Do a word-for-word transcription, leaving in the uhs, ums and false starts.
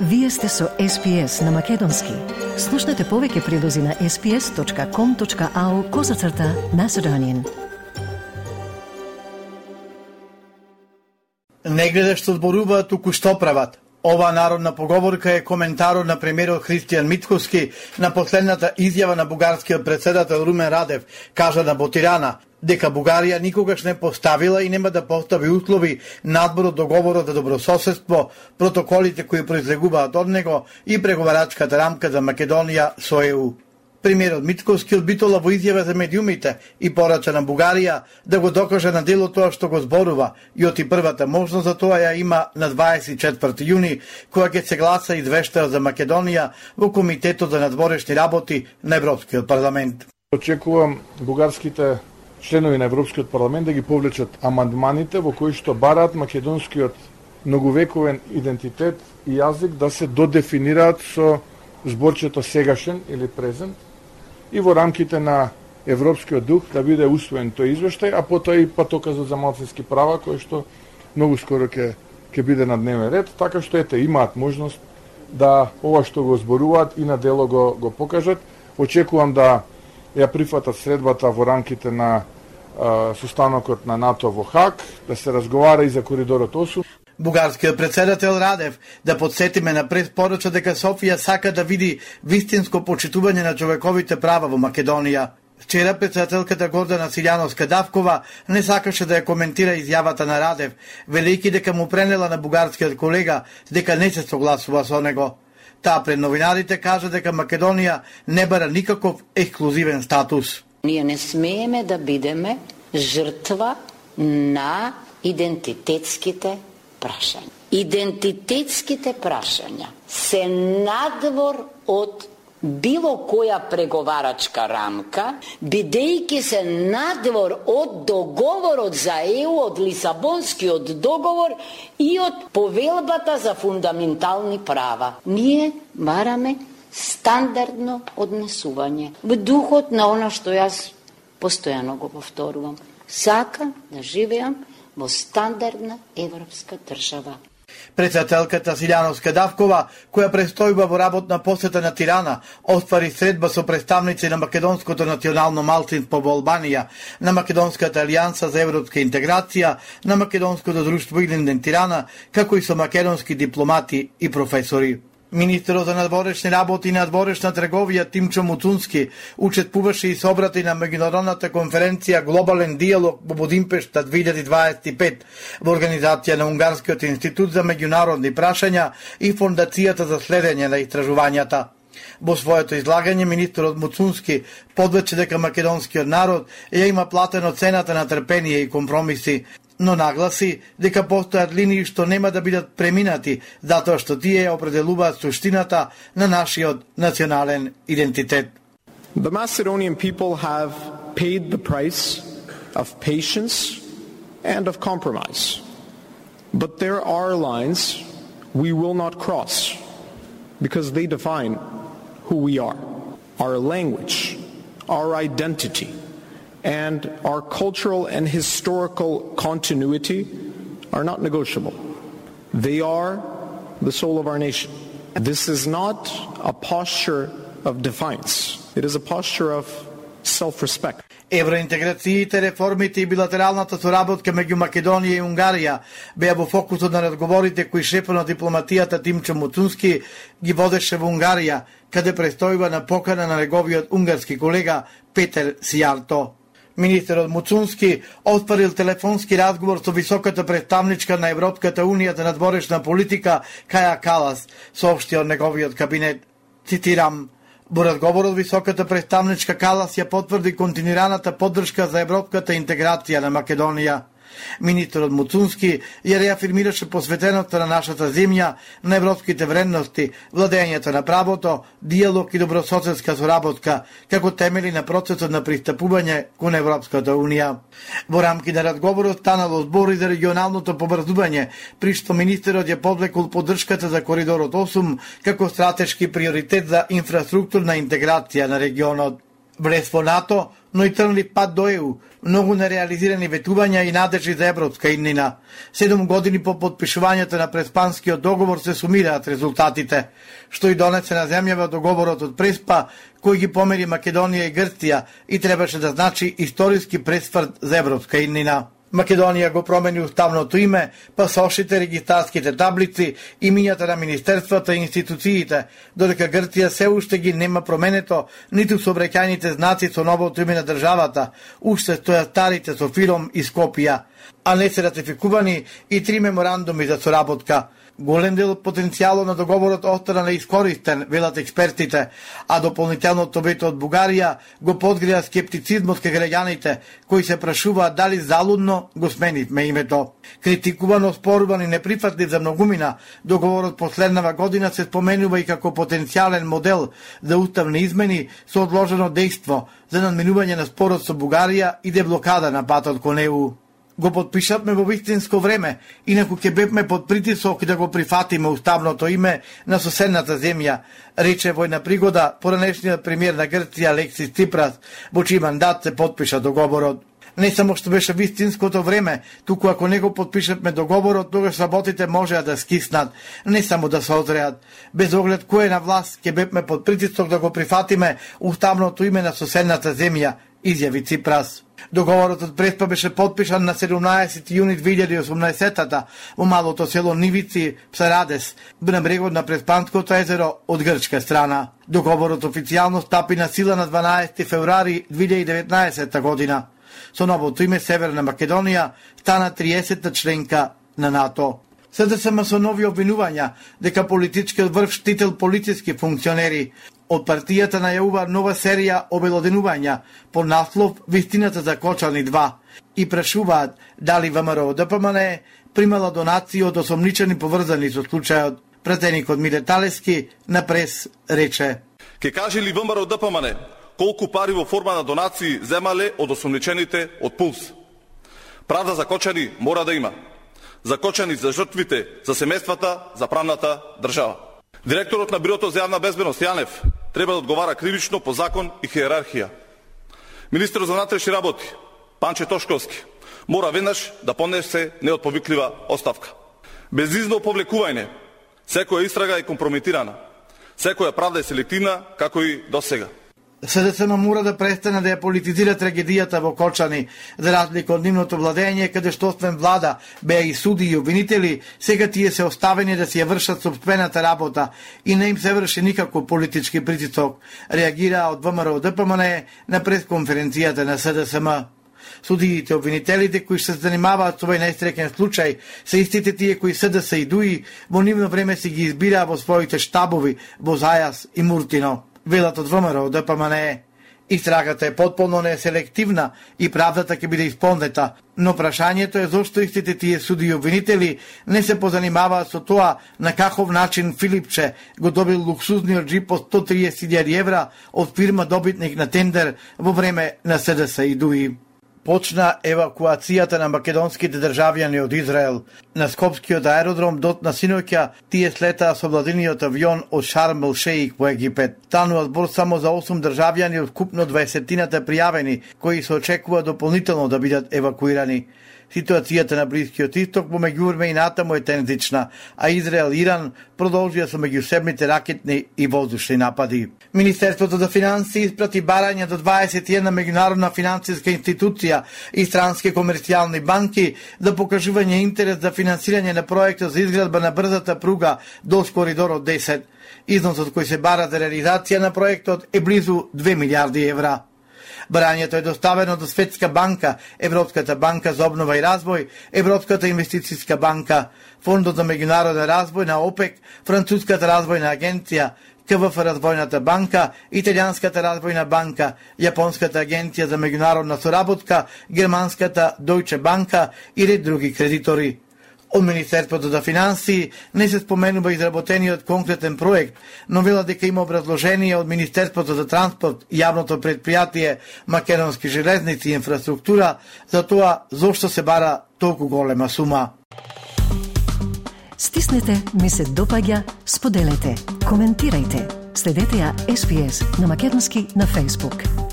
Вие сте со Ес Пи Ес на Македонски. Слушнете повеќе прилози на ес пи ес точка ком точка ау козацрта Macedonian. Не гледа што зборуваат, туку што прават. Ова народна поговорка е коментарот на премиерот Христијан Мицкоски на последната изјава на бугарскиот претседател Румен Радев, кажа на Ботирана дека Бугарија никогаш не поставила и нема да постави услови надвор од договорот за добрососедство, протоколите кои произлегуваат од него и преговарачката рамка за Македонија со Е У. Премиерот Мицкоски одбитола во изјава за медиумите и порача на Бугарија да го докаже на дело тоа што го зборува и оти првата можност за тоа ја има на дваесет и четврти јуни, кога ќе се гласа извештај за Македонија во Комитетот за надворешни работи на Европскиот парламент. Очекувам бугарските членови на Европскиот парламент да ги повлечат амандманите во кои што бараат македонскиот многовековен идентитет и јазик да се додефинираат со зборчето сегашен или презент и во рамките на европскиот дух да биде усвоен тој извештај, а потоа и патоказот за малцински права кој што многу скоро ќе ќе биде на дневен ред, така што ете имаат можност да ова што го зборуваат и на дело го го покажат. Очекувам да ја прифатат средбата во рамките на а, состанокот на НАТО во Хаг, да се разговара и за коридорот осум. Бугарскиот претседател Радев да подсетиме на прес порача дека Софија сака да види вистинско почитување на човековите права во Македонија. Вчера претседателката Гордана Силјановска-Давкова не сакаше да ја коментира изјавата на Радев, велејќи дека му пренела на бугарскиот колега дека не се согласува со него. Таа пред новинарите кажа дека Македонија не бара никаков ексклузивен статус. Ние не смееме да бидеме жртва на идентитетските прашања. Идентитетските прашања се надвор од било која преговарачка рамка, бидејќи се надвор од договорот за Е У, од Лисабонскиот договор и од повелбата за фундаментални права. Ние бараме стандардно однесување во духот на она што јас постојано го повторувам. Сакам да живеам во стандардна европска држава. Претседателката Силјановска-Давкова, која престојува во работна посета на Тирана, оствари средба со представници на македонското национално малцинство во Албанија, на Македонската алијанса за европска интеграција, на Македонското друштво Илинден Тирана, како и со македонски дипломати и професори. Министерот за надворешни работи и надворешна трговија Тимчо Муцунски учествуваше и се обрати на меѓународната конференција Глобален диалог во Будимпешта две илјади дваесет и пет во организација на Унгарскиот институт за меѓународни прашања и Фондацијата за следење на истражувањата. Во своето излагање министерот Муцунски подвече дека македонскиот народ ја има платено цената на трпение и компромиси, но нагласи дека постојат линии што нема да бидат преминати, затоа што тие определуваат суштината на нашиот национален идентитет. The Macedonian people have paid the price of patience and of compromise. But there are lines we will not cross because they define who we are, our language, our identity, and our cultural and historical continuity are not negotiable. They are the soul of our nation. This is not a posture of defiance. It is a posture of self-respect. Евроинтеграциите, реформите и билатералната соработка меѓу Македонија и Унгарија беа во фокусот на разговорите кои шефот на дипломатијата Тимчо Муцунски ги водеше во Унгарија, каде престојува на покана на неговиот унгарски колега Петер Сијарто. Министерот Муцунски отварил телефонски разговор со високата представничка на Европската унија за надворешна политика Каја Калас, соопшти од неговиот кабинет. Цитирам: во разговорот високата представничка Калас ја потврди континуираната поддршка за европската интеграција на Македонија. Министерот Муцунски ја реафирмираше посветеноста на нашата земја на европските вредности, владењето на правото, диалог и добрососедска соработка, како темели на процесот на пристапување кон Европската унија. Во рамки на разговорот станало збори за регионалното побрзување, при што министерот ја подвлекол поддршката за коридорот осум како стратешки приоритет за инфраструктурна интеграција на регионот. Влез во НАТО, но и трнлив пат до Е У, многу нереализирани ветувања и надежи за европска иднина. Седум години по подпишувањето на Преспанскиот договор се сумираат резултатите, што и донесе на земјава договорот од Преспа, кој ги помери Македонија и Грција и требаше да значи историски пресврт за европска иднина. Македонија го промени уставното име, пасошите, регистарските таблици, имињата на министерствата и институциите, додека Грција се уште ги нема променето, ниту сообраќајните знаци со новото име на државата, уште стојат старите со Фиром и Скопија, а не се ратификувани и три меморандуми за соработка. Голем дел од потенцијалот на договорот остана неискористен, велат експертите, а дополнителното вето од Бугарија го подгреа скептицизмот кај граѓаните, кои се прашуваат дали залудно го сменивме името. Критикуван, оспоруван и неприфатлив за многумина, договорот последнава година се споменува и како потенцијален модел за уставни измени со одложено дејство за надминување на спорот со Бугарија и деблокада на патот кон Е У. Го подпишавме во вистинско време, инаку ќе бевме под притисок да го прифатиме уставното име на соседната земја, рече во една пригода поранешниот премиер на Грција Алексис Ципрас, во чиј мандат се подпиша договорот. Не само што беше вистинското време, туку ако не го подпишавме договорот, тогаш работите можеа да скиснат, не само да се озреат. Без оглед кој е на власт, ќе бевме под притисок да го прифатиме уставното име на соседната земја, изјави Ципрас. Договорот од Преспа беше подпишан на седумнаесети јуни две илјади и осумнаесетата во малото село Нивици, Псарадес, на брегот на Преспанското езеро од грчка страна. Договорот официјално стапи на сила на дванаесети февруари две илјади и деветнаесета година. Со новото име Северна Македонија стана триесетта членка на НАТО. СДСМ со нови обвинувања дека политичкиот врв штител полициски функционери. Од партијата најавува нова серија обелоденувања по наслов Вистината за Кочани два и прашуваат дали ВМРО Д П М Н примала донации од осомничени поврзани со случајот. Пратеникот Миле Талески на Прес рече: Ке каже ли ВМРО Д П М Н колку пари во форма на донации земале од осомничените од Пулс? Правда за Кочани мора да има. За Кочани, за жртвите, за семејствата, за правната држава. Директорот на Бирото за јавна безбедност Јанев треба да одговара кривично по закон и хиерархија. Министерот за внатрешни работи Панче Тошковски мора веднаш да понесе неотповиклива оставка. Безизно повлекување, секоја истрага е компрометирана, секоја правда е селективна, како и досега. СДСМ мора да престане да ја политизира трагедијата во Кочани, за разлика од нивното владење, каде што освен влада беа и суди и обвинители, сега тие се оставени да си ја вршат собствената работа и не им се врши никако политички притисок, реагира од ВМРО Д П М Н на пресконференцијата на СДСМ. Судиите обвинителите кои се занимаваат со овој најстрекен случај се истите тие кои СДС и ДУИ во нивно време си ги избираа во своите штабови во Зајас и Муртино. Велат од ВМРО Д П М Н. Истрагата е потполно неселективна и правдата ќе биде исполнета, но прашањето е зошто истите тие суди и обвинители не се позанимаваат со тоа на каков начин Филипче го добил луксузниот джип од сто триесет илјади евра од фирма добитник на тендер во време на СДС и ДУИ. Почна евакуацијата на македонските државјани од Израел. На Скопскиот аеродром дотна синоќа тие слетаа со владиниот авион од Шарм ел Шеик во Египет. Станува збор само за осум државјани од вкупно дваесеттината пријавени, кои се очекува дополнително да бидат евакуирани. Ситуацијата на Блискиот Исток помеѓу време и натаму е тензична, а Израел и Иран продолжија со меѓусебните ракетни и воздушни напади. Министерството за финансии испрати барања до дваесет и една меѓународна финансиска институција и странски комерцијални банки за покажување интерес за финансирање на проектот за изградба на брзата пруга до Коридорот десет. Износот кој се бара за реализација на проектот е близу две милијарди евра. Барањето е доставено до Светска банка, Европската банка за обнова и развој, Европската инвестицијска банка, Фондот за меѓународен развој на ОПЕК, Француската развојна агенција, К В Ф Развојната банка, Италијанската развојна банка, Јапонската агенција за меѓународна соработка, Германската Дојче банка и ред други кредитори. Од Министерството за финансии не се споменува изработениот конкретен проект, но вела дека има образложение од Министерството за транспорт и јавното предпријатие Македонски железници и инфраструктура за тоа зошто се бара толку голема сума. Стиснете, ми се допаѓа, споделете, коментирајте. Следете ја Ес Би Ес на македонски на Facebook.